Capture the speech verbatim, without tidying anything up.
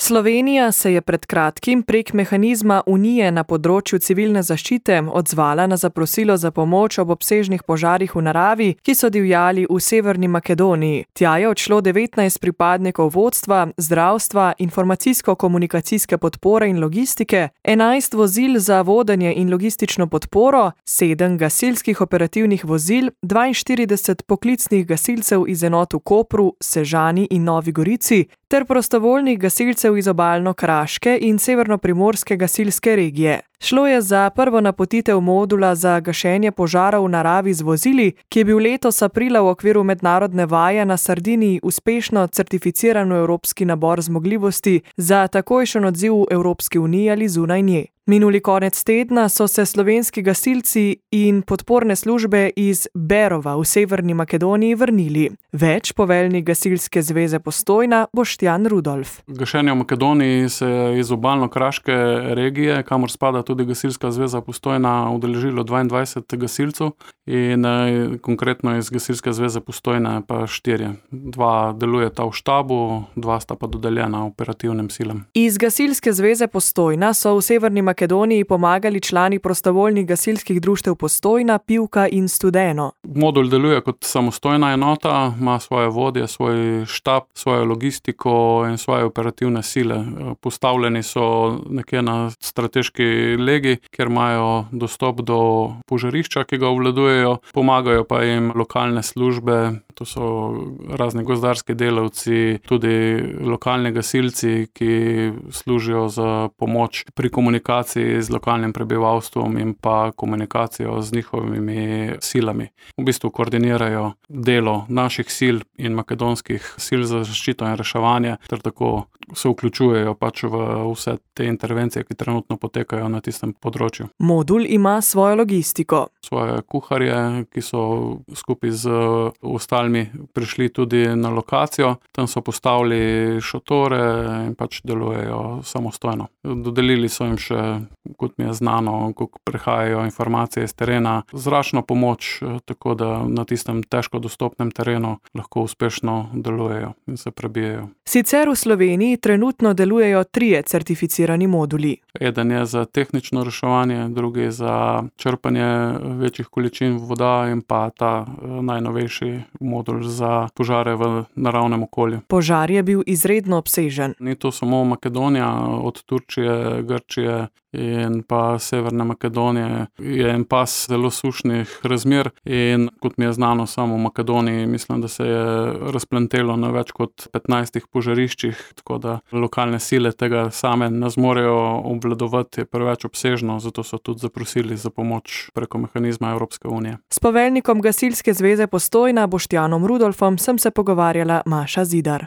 Slovenija se je pred kratkim prek mehanizma Unije na področju civilne zaščite odzvala na zaprosilo za pomoč ob obsežnih požarih v naravi, ki so divjali v Severni Makedoniji. Tja je odšlo devetnajst pripadnikov vodstva, zdravstva, informacijsko-komunikacijske podpore in logistike, enajst vozil za vodenje in logistično podporo, sedem gasilskih operativnih vozil, dvainštirideset poklicnih gasilcev iz enot v Kopru, Sežani in Novi Gorici ter prostovoljnih gasilcev iz obalno-kraške in severnoprimorske gasilske regije. Šlo je za prvo napotitev modula za gašenje požarov v naravi z vozili, ki je bil letos aprila v okviru mednarodne vaje na Sardiniji uspešno certificiran v evropski nabor zmogljivosti za takojšen odziv v Evropski uniji ali zunaj nje. Minuli konec tedna so se slovenski gasilci in podporne službe iz Berova v Severni Makedoniji vrnili. Več poveljnik Gasilske zveze Postojna Boštjan Rudolf. Gašenje v Makedoniji se je iz obalno-kraške regije, kamor spada tudi Gasilska zveza Postojna, udeležilo dvaindvajset gasilcev in eh, konkretno iz Gasilske zveze Postojna pa štirje. Dva delujeta v štabu, dva sta pa dodeljena operativnim silam. Iz Gasilske zveze Postojna so v Severni Makedoniji pomagali člani prostovoljnih gasilskih društev Postojna, Pivka in Studeno. Modul deluje kot samostojna enota, ima svoje vodje, svoj štab, svojo logistiko in svoje operativne sile. Postavljeni so nekje na strateški legi, kjer imajo dostop do požarišča, ki ga obvladujejo, pomagajo pa jim lokalne službe, to so razni gozdarski delavci, tudi lokalni gasilci, ki služijo za pomoč pri komunikaciji z lokalnim prebivalstvom in pa komunikacijo z njihovimi silami. V bistvu koordinirajo delo naših sil in makedonskih sil za zaščito in reševanje, ter tako se vključujejo pač v vse te intervencije, ki trenutno potekajo na tistem področju. Modul ima svojo logistiko. Svoje kuharje, ki so skupaj z ostalimi prišli tudi na lokacijo, tam so postavili šotore in pač delujejo samostojno. Dodelili so jim še, kot mi je znano, kako prihajajo informacije iz terena, zračno pomoč, tako da na tistem težko dostopnem terenu lahko uspešno delujejo in se prebijejo. Sicer v Sloveniji trenutno delujejo trije certificirani moduli. Eden je za tehnično reševanje, drugi za črpanje večjih količin voda in pa ta najnovejši modul za požare v naravnem okolju. Požar je bil izredno obsežen. Ni to samo Makedonija, od Turčije, Grčije in pa Severne Makedonije je en pas zelo sušnih razmer in kot mi je znano, samo v Makedoniji mislim, da se je razplantelo na več kot petnajstih požariščih, tako da lokalne sile tega same ne zmorejo obvladovati, je preveč obsežno, zato so tudi zaprosili za pomoč preko mehanizma Evropske unije. S poveljnikom Gasilske zveze Postojna Boštjanom Rudolfom sem se pogovarjala Maša Zidar.